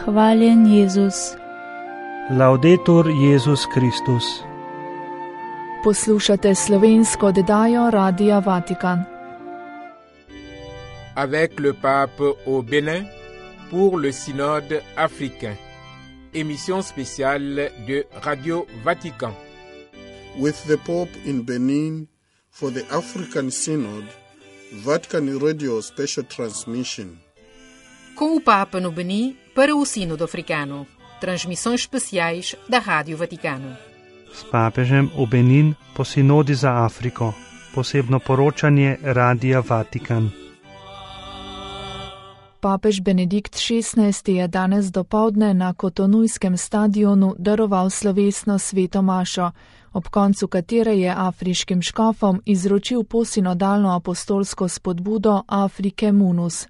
Hvaljen Jezus. Laudetur Jezus Kristus. Poslušate slovensko oddajo Radia Vatikan. Avec le pape au Bénin pour le synode africain. Émission spéciale de Radio Vatican. With the Pope in Benin for the African Synod, Vatican Radio Special Transmission. Com o Papa no Benin para o Sínodo Africano. Transmissões especiais da Rádio Vaticano. S pápežem v Benin po sinodi za Afriko. Posebno poročanje Radia Vatikan. Papež Benedikt XVI je danes dopoldne na Kotonujskem stadionu daroval slovesno sveto mašo, ob koncu katere je afriškim škofom izročil posinodalno apostolsko spodbudo Afrike Munus.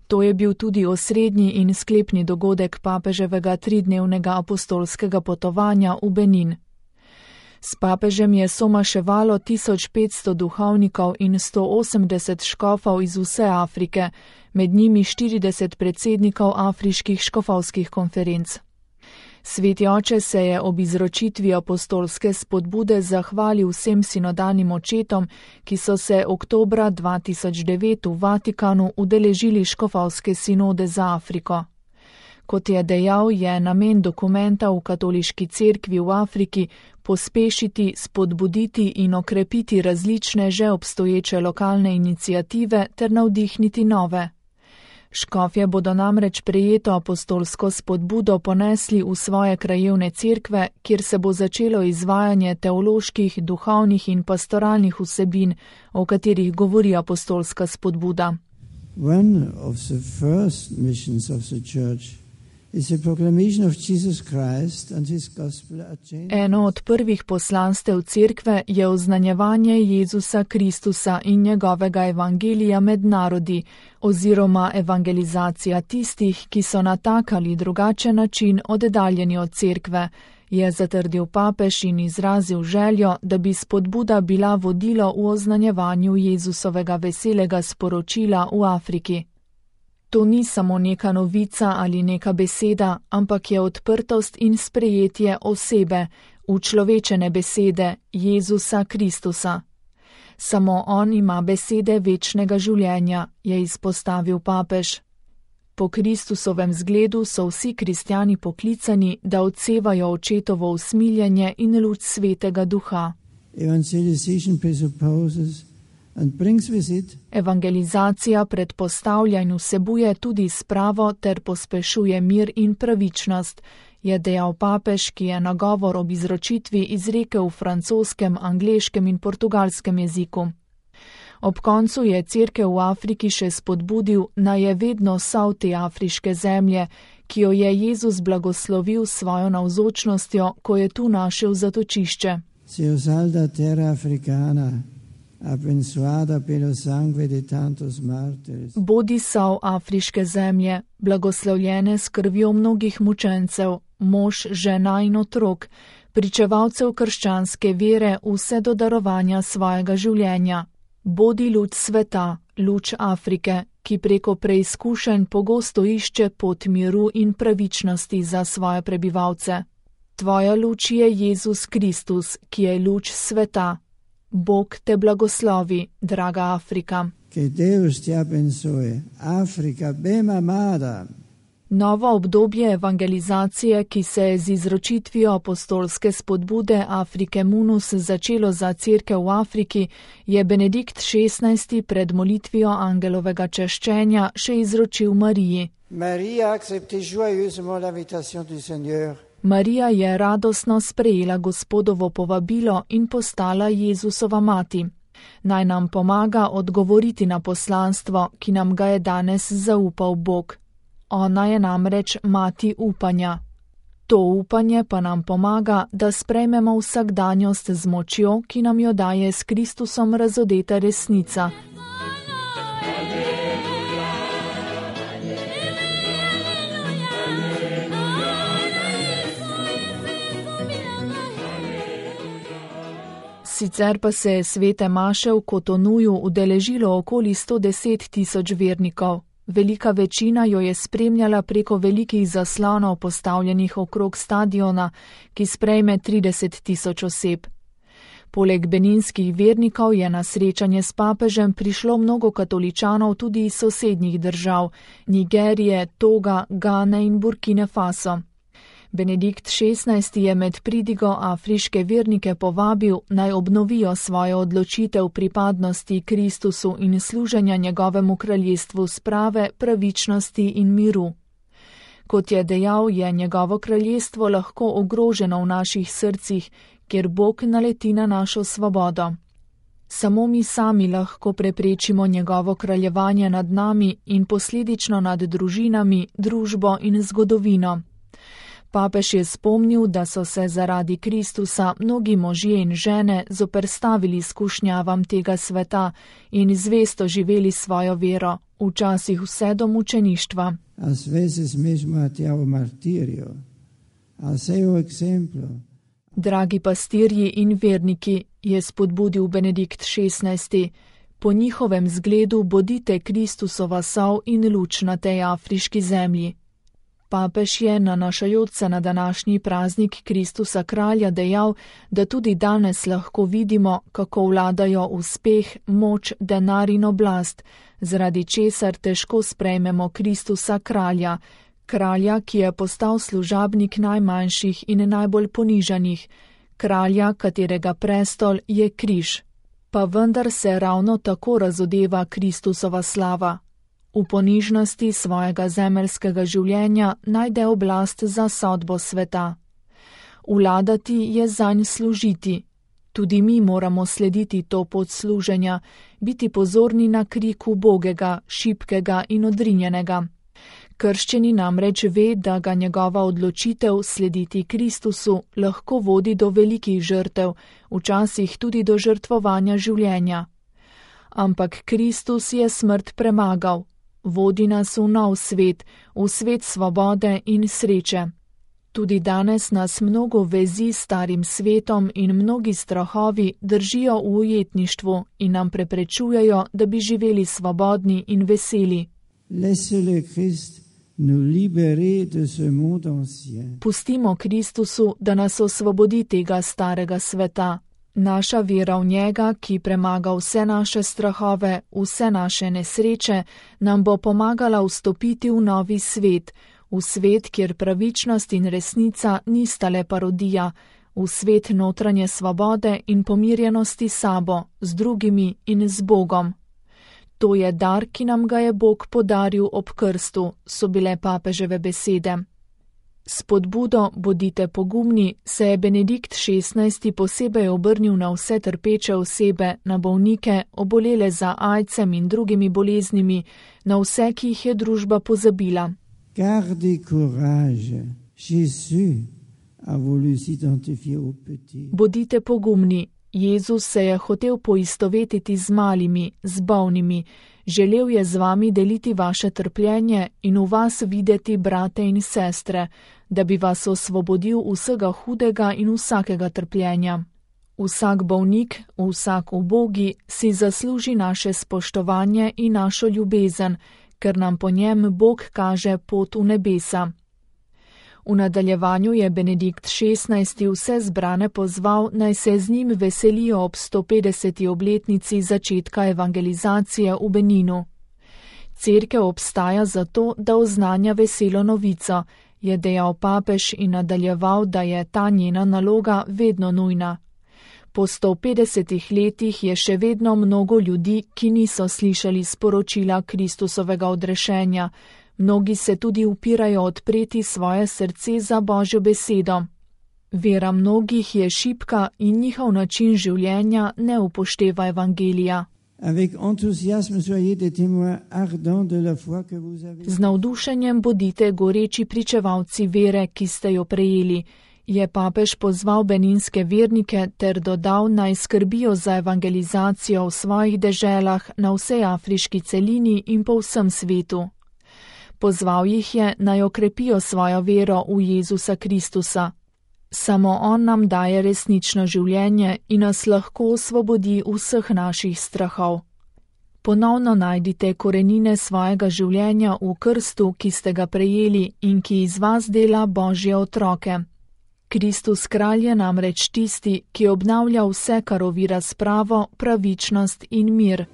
To je bil tudi osrednji in sklepni dogodek papeževega tridnevnega apostolskega potovanja v Benin. S papežem je somaševalo 1500 duhovnikov in 180 škofov iz vse Afrike, med njimi 40 predsednikov afriških škofovskih konferenc. Sveti oče se je ob izročitvi apostolske spodbude zahvalil vsem sinodalnim očetom, ki so se oktobra 2009 v Vatikanu udeležili škofovske sinode za Afriko. Kot je dejal, je namen dokumenta v katoliški cerkvi v Afriki pospešiti, spodbuditi in okrepiti različne že obstoječe lokalne iniciative ter navdihniti nove. Škofje bodo namreč prejeto apostolsko spodbudo ponesli v svoje krajevne cerkve, kjer se bo začelo izvajanje teoloških, duhovnih in pastoralnih vsebin, o katerih govori apostolska spodbuda. One of the first missions of the church is the proclamation of Jesus Christ and his gospel agenda. Eno od prvih poslanstev cerkve je oznanjevanje Jezusa Kristusa in njegovega evangelija med narodi, oziroma evangelizacija tistih, ki so na tak ali drugačen način oddaljeni od cerkve, je zatrdil papež in izrazil željo, da bi spodbuda bila vodilo v oznanjevanju Jezusovega veselega sporočila v Afriki. To ni samo neka novica ali neka beseda, ampak je odprtost in sprejetje osebe, učlovečene besede Jezusa Kristusa. Samo on ima besede večnega življenja, je izpostavil papež. Po Kristusovem zgledu so vsi kristjani poklicani, da odsevajo očetovo usmiljenje in luč svetega duha. Evangelizacija predpostavlja in vsebuje tudi spravo ter pospešuje mir in pravičnost, je dejal papež, ki je nagovor ob izročitvi izrekel v francoskem, angleškem in portugalskem jeziku. Ob koncu je cerkev v Afriki še spodbudil, naj je vedno sol te afriške zemlje, ki jo je Jezus blagoslovil s svojo navzočnostjo, ko je tu našel zatočišče. Bodi sol afriške zemlje, blagoslovljene s krvjo mnogih mučencev, mož, žena in otrok, pričevalcev krščanske vere vse do darovanja svojega življenja. Bodi luč sveta, luč Afrike, ki preko preizkušenj pogosto išče pot miru in pravičnosti za svoje prebivalce. Tvoja luč je Jezus Kristus, ki je luč sveta. Bog te blagoslovi, draga Afrika. Novo obdobje evangelizacije, ki se je z izročitvijo apostolske spodbude Afrike Munus začelo za cerkev v Afriki, je Benedikt XVI pred molitvijo angelovega češčenja še izročil Mariji. Marija je radostno sprejela Gospodovo povabilo in postala Jezusova mati. Naj nam pomaga odgovoriti na poslanstvo, ki nam ga je danes zaupal Bog. Ona je namreč mati upanja. To upanje pa nam pomaga, da sprejmemo vsakdanjost z močjo, ki nam jo daje s Kristusom razodeta resnica. Sicer pa se je svete maše v Kotonuju udeležilo okoli 110 000 vernikov. Velika večina jo je spremljala preko velikih zaslonov postavljenih okrog stadiona, ki sprejme 30 000 oseb. Poleg beninskih vernikov je na srečanje s papežem prišlo mnogo katoličanov tudi iz sosednjih držav, Nigerije, Toga, Gane in Burkine Faso. Benedikt XVI je med pridigo afriške vernike povabil, naj obnovijo svojo odločitev pripadnosti Kristusu in služenja njegovemu kraljestvu sprave, pravičnosti in miru. Kot je dejal, je njegovo kraljestvo lahko ogroženo v naših srcih, kjer Bog naleti na našo svobodo. Samo mi sami lahko preprečimo njegovo kraljevanje nad nami in posledično nad družinami, družbo in zgodovino. Papež je spomnil, da so se zaradi Kristusa mnogi možje in žene zoperstavili skušnjavam tega sveta in zvesto živeli svojo vero, včasih vse do mučeništva. Dragi pastirji in verniki, je spodbudil Benedikt XVI, po njihovem zgledu bodite Kristusova sol in luč na tej afriški zemlji. Papež je nanašajoč se na današnji praznik Kristusa kralja dejal, da tudi danes lahko vidimo, kako vladajo uspeh, moč, denar in oblast, zaradi česar težko sprejmemo Kristusa kralja, kralja, ki je postal služabnik najmanjših in najbolj ponižanih, kralja, katerega prestol je križ. Pa vendar se ravno tako razodeva Kristusova slava. V ponižnosti svojega zemeljskega življenja najde oblast za sodbo sveta. Vladati je zanj služiti. Tudi mi moramo slediti to pot služenja, biti pozorni na krik ubogega, šibkega in odrinjenega. Krščeni namreč ve, da ga njegova odločitev slediti Kristusu lahko vodi do velikih žrtev, včasih tudi do žrtvovanja življenja. Ampak Kristus je smrt premagal. Vodi nas v nov svet, v svet svobode in sreče. Tudi danes nas mnogo vezi s starim svetom in mnogi strahovi držijo v ujetništvu in nam preprečujejo, da bi živeli svobodni in veseli. Pustimo Kristusu, da nas osvobodi tega starega sveta. Naša vera v njega, ki premaga vse naše strahove, vse naše nesreče, nam bo pomagala vstopiti v novi svet, v svet, kjer pravičnost in resnica nista le parodija, v svet notranje svobode in pomirjenosti s sabo, z drugimi in z Bogom. To je dar, ki nam ga je Bog podaril ob krstu, so bile papeževe besede. S spodbudo bodite pogumni se je Benedikt XVI posebej obrnil na vse trpeče osebe, na bolnike, obolele za aidsom in drugimi boleznimi, na vse, ki jih je družba pozabila. Bodite pogumni. Jezus se je hotel poistovetiti z malimi, z bolnimi. Želel je z vami deliti vaše trpljenje in v vas videti brate in sestre, da bi vas osvobodil vsega hudega in vsakega trpljenja. Vsak bolnik, vsak ubogi si zasluži naše spoštovanje in našo ljubezen, ker nam po njem Bog kaže pot v nebesa. V nadaljevanju je Benedikt XVI vse zbrane pozval, naj se z njim veselijo ob 150. obletnici začetka evangelizacije v Beninu. Cerkev obstaja zato, da oznanja veselo novico, je dejal papež in nadaljeval, da je ta njena naloga vedno nujna. Po 150 letih je še vedno mnogo ljudi, ki niso slišali sporočila Kristusovega odrešenja. Mnogi se tudi upirajo odpreti svoje srce za Božjo besedo. Vera mnogih je šibka in njihov način življenja ne upošteva evangelija. Z navdušenjem bodite goreči pričevalci vere, ki ste jo prejeli, je papež pozval beninske vernike ter dodal, naj skrbijo za evangelizacijo v svojih deželah na vsej afriški celini in po vsem svetu. Pozval jih je, naj okrepijo svojo vero v Jezusa Kristusa. Samo on nam daje resnično življenje in nas lahko osvobodi vseh naših strahov. Ponovno najdite korenine svojega življenja v krstu, ki ste ga prejeli in ki iz vas dela Božje otroke. Kristus kralj je namreč tisti, ki obnavlja vse, kar ovira spravo, pravičnost in mir.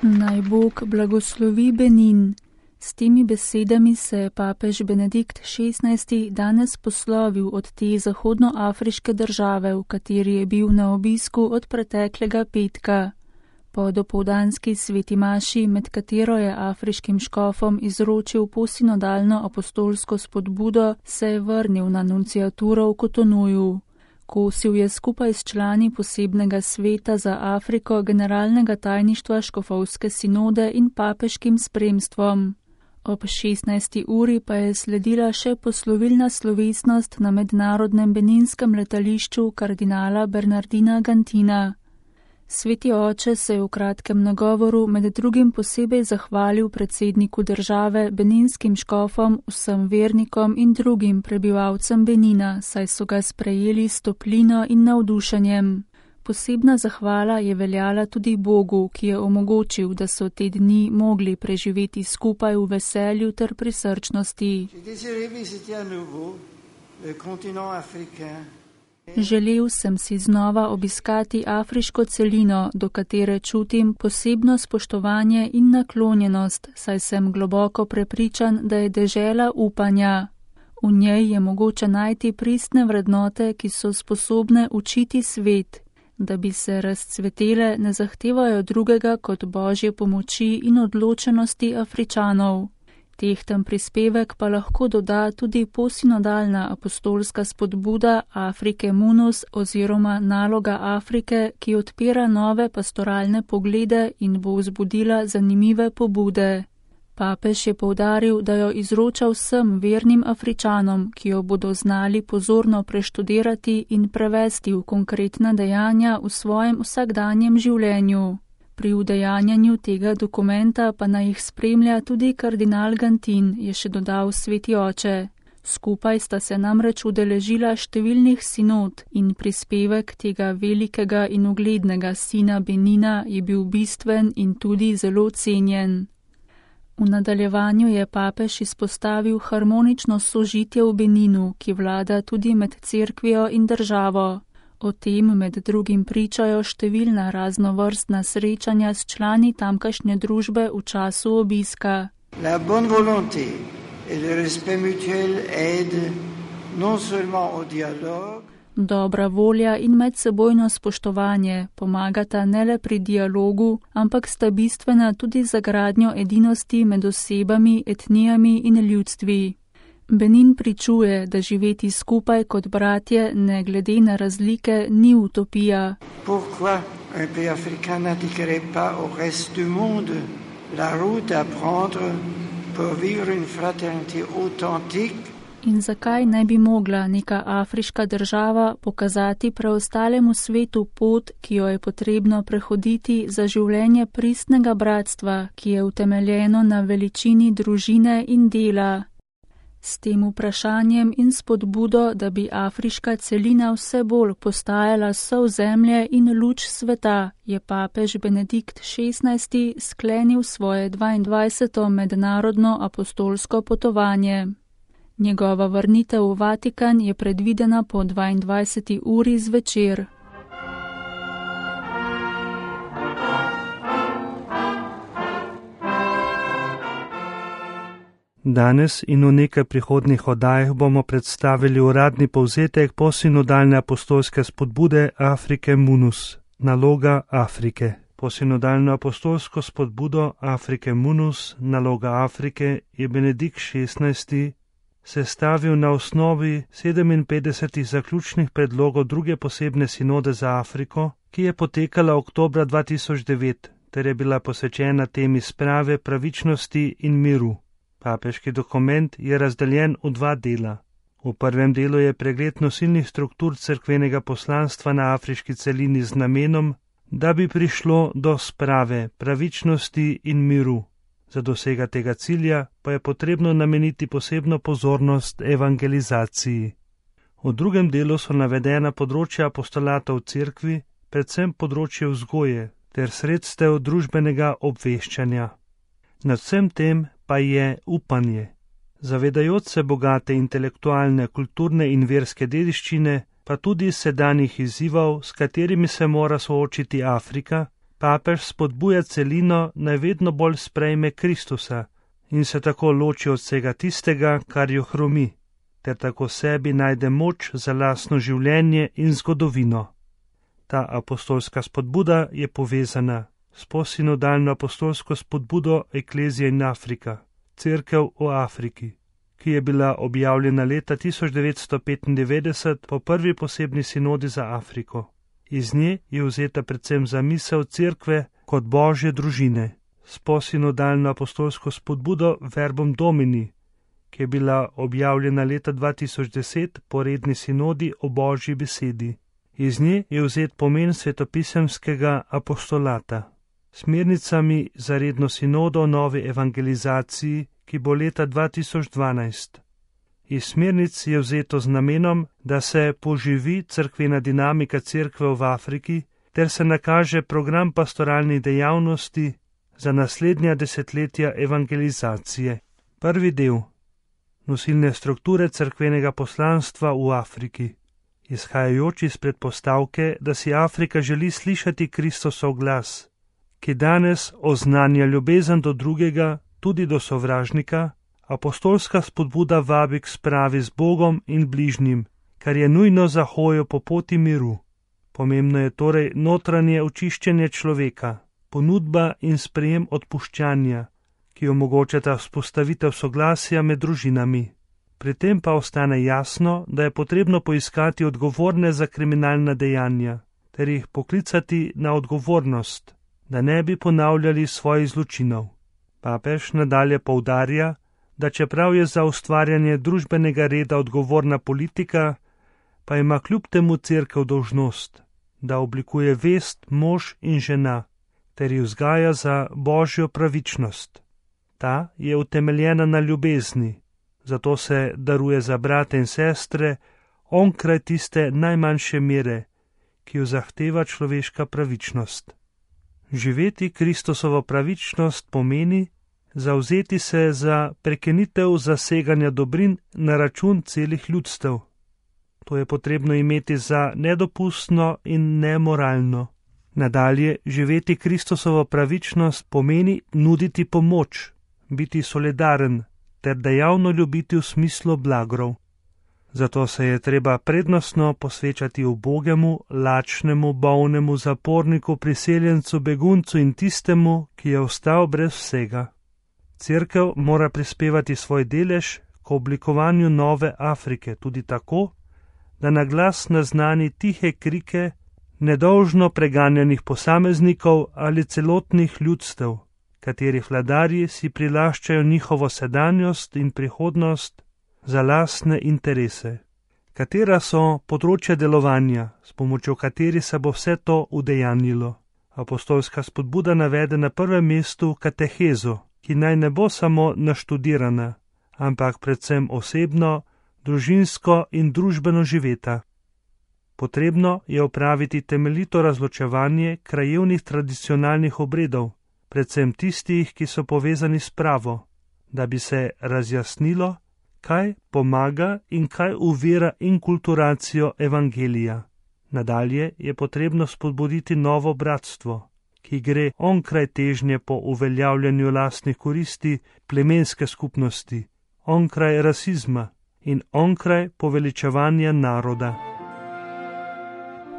Naj Bog blagoslovi Benin. S temi besedami se je papež Benedikt XVI danes poslovil od te zahodnoafriške države, v kateri je bil na obisku od preteklega petka. Po dopoldanski sveti maši, med katero je afriškim škofom izročil posinodalno apostolsko spodbudo, se je vrnil na nunciaturo v Kotonuju. Kosil je skupaj s člani posebnega sveta za Afriko generalnega tajništva škofovske sinode in papeškim spremstvom. Ob 16. uri pa je sledila še poslovilna slovesnost na mednarodnem beninskem letališču kardinala Bernardina Gantina. Sveti oče se je v kratkem nagovoru med drugim posebej zahvalil predsedniku države, beninskim škofom, vsem vernikom in drugim prebivalcem Benina, saj so ga sprejeli s toplino in navdušenjem. Posebna zahvala je veljala tudi Bogu, ki je omogočil, da so te dni mogli preživeti skupaj v veselju ter prisrčnosti. Želel sem si znova obiskati afriško celino, do katere čutim posebno spoštovanje in naklonjenost, saj sem globoko prepričan, da je dežela upanja. V njej je mogoče najti pristne vrednote, ki so sposobne učiti svet. Da bi se razcvetele, ne zahtevajo drugega kot Božje pomoči in odločenosti Afričanov. Tehten prispevek pa lahko doda tudi posinodalna apostolska spodbuda Afrike Munus oziroma naloga Afrike, ki odpira nove pastoralne poglede in bo vzbudila zanimive pobude. Papež je poudaril, da jo izroča vsem vernim Afričanom, ki jo bodo znali pozorno preštudirati in prevesti v konkretna dejanja v svojem vsakdanjem življenju. Pri udejanjanju tega dokumenta pa naj jih spremlja tudi kardinal Gantin, je še dodal sveti oče. Skupaj sta se namreč udeležila številnih sinod in prispevek tega velikega in uglednega sina Benina je bil bistven in tudi zelo cenjen. V nadaljevanju je papež izpostavil harmonično sožitje v Beninu, ki vlada tudi med cerkvijo in državo. O tem med drugim pričajo številna raznovrstna srečanja s člani tamkajšnje družbe v času obiska. La bonne volonté et le respect mutuel aident non seulement au dialogue. Dobra volja in medsebojno spoštovanje pomagata ne le pri dialogu, ampak sta bistvena tudi za gradnjo edinosti med osebami, etnijami in ljudstvi. Benin pričuje, da živeti skupaj kot bratje, ne glede na razlike, ni utopija. Pourquoi un pays africain n'indiquerait pas au reste du monde la route à prendre pour vivre une fraternité authentique? In zakaj ne bi mogla neka afriška država pokazati preostalemu svetu pot, ki jo je potrebno prehoditi za življenje pristnega bratstva, ki je utemeljeno na veličini družine in dela? S tem vprašanjem in spodbudo, da bi afriška celina vse bolj postajala sol zemlje in luč sveta, je papež Benedikt XVI sklenil svoje 22. mednarodno apostolsko potovanje. Njegova vrnitev v Vatikan je predvidena po 22. uri zvečer. Danes in v nekaj prihodnjih oddajah bomo predstavili uradni povzetek posinodalne apostolske spodbude Afrike Munus, naloga Afrike. Posinodalno apostolsko spodbudo Afrike Munus, naloga Afrike, je Benedikt XVI sestavil na osnovi 57 zaključnih predlogov druge posebne sinode za Afriko, ki je potekala oktobra 2009, ter je bila posvečena temi sprave, pravičnosti in miru. Papeški dokument je razdeljen v dva dela. V prvem delu je pregled nosilnih struktur cerkvenega poslanstva na afriški celini z namenom, da bi prišlo do sprave, pravičnosti in miru. Za dosega tega cilja pa je potrebno nameniti posebno pozornost evangelizaciji. V drugem delu so navedena področja apostolata v cerkvi, predvsem področje vzgoje ter sredstev družbenega obveščanja. Nad vsem tem pa je upanje. Zavedajoč se bogate intelektualne, kulturne in verske dediščine, pa tudi sedanjih izzivov, s katerimi se mora soočiti Afrika, papež spodbuja celino, naj vedno bolj sprejme Kristusa in se tako loči od vsega tistega, kar jo hromi, ter tako sebi najde moč za lastno življenje in zgodovino. Ta apostolska spodbuda je povezana s posinodalno apostolsko spodbudo Eklezije in Afrika, Cerkev v Afriki, ki je bila objavljena leta 1995 po prvi posebni sinodi za Afriko. Iz nje je vzeta predvsem zamisel cerkve kot božje družine, s posinodalno apostolsko spodbudo Verbum Domini, ki je bila objavljena leta 2010 po redni sinodi o božji besedi. Iz nje je vzet pomen svetopisemskega apostolata, smernicami za redno sinodo o novi evangelizaciji, ki bo leta 2012. Iz smernic je vzeto z namenom, da se poživi cerkvena dinamika cerkve v Afriki ter se nakaže program pastoralnih dejavnosti za naslednja desetletja evangelizacije. Prvi del. Nosilne strukture cerkvenega poslanstva v Afriki. Izhajajoč iz predpostavke, da si Afrika želi slišati Kristosov glas, ki danes oznanja ljubezen do drugega, tudi do sovražnika, apostolska spodbuda vabi k spravi z Bogom in bližnjim, kar je nujno za hojo po poti miru. Pomembno je torej notranje očiščenje človeka, ponudba in sprejem odpuščanja, ki omogočata vzpostavitev soglasja med družinami. Pri tem pa ostane jasno, da je potrebno poiskati odgovorne za kriminalna dejanja, ter jih poklicati na odgovornost, da ne bi ponavljali svojih zločinov. Papež nadalje poudarja, da čeprav je za ustvarjanje družbenega reda odgovorna politika, pa ima kljub temu cerkev dolžnost, da oblikuje vest mož in žena, ter jih vzgaja za božjo pravičnost. Ta je utemeljena na ljubezni, zato se daruje za brate in sestre onkraj tiste najmanjše mere, ki jo zahteva človeška pravičnost. Živeti Kristosovo pravičnost pomeni zavzeti se za prekinitev zaseganja dobrin na račun celih ljudstev. To je potrebno imeti za nedopustno in nemoralno. Nadalje, živeti Kristosovo pravičnost pomeni nuditi pomoč, biti solidaren ter dejavno ljubiti v smislu blagrov. Zato se je treba prednostno posvečati ubogemu, lačnemu, bolnemu, zaporniku, priseljencu, beguncu in tistemu, ki je ostal brez vsega. Cerkev mora prispevati svoj delež k oblikovanju nove Afrike, tudi tako, da na glas naznani tihe krike nedolžno preganjanih posameznikov ali celotnih ljudstev, katerih vladarji si prilaščajo njihovo sedanjost in prihodnost za lastne interese. Katera so področja delovanja, s pomočjo katerih se bo vse to udejanjilo? Apostolska spodbuda navede na prvem mestu katehezo, ki naj ne bo samo naštudirana, ampak predvsem osebno, družinsko in družbeno živeta. Potrebno je opraviti temeljito razločevanje krajevnih tradicionalnih obredov, predvsem tistih, ki so povezani s pravo, da bi se razjasnilo, kaj pomaga in kaj uvira inkulturacijo evangelija. Nadalje je potrebno spodbuditi novo bratstvo, ki gre onkraj težnje po uveljavljanju lastnih koristi plemenske skupnosti, onkraj rasizma in onkraj poveličevanja naroda.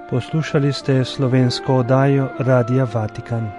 Poslušali ste slovensko oddajo Radia Vatikan.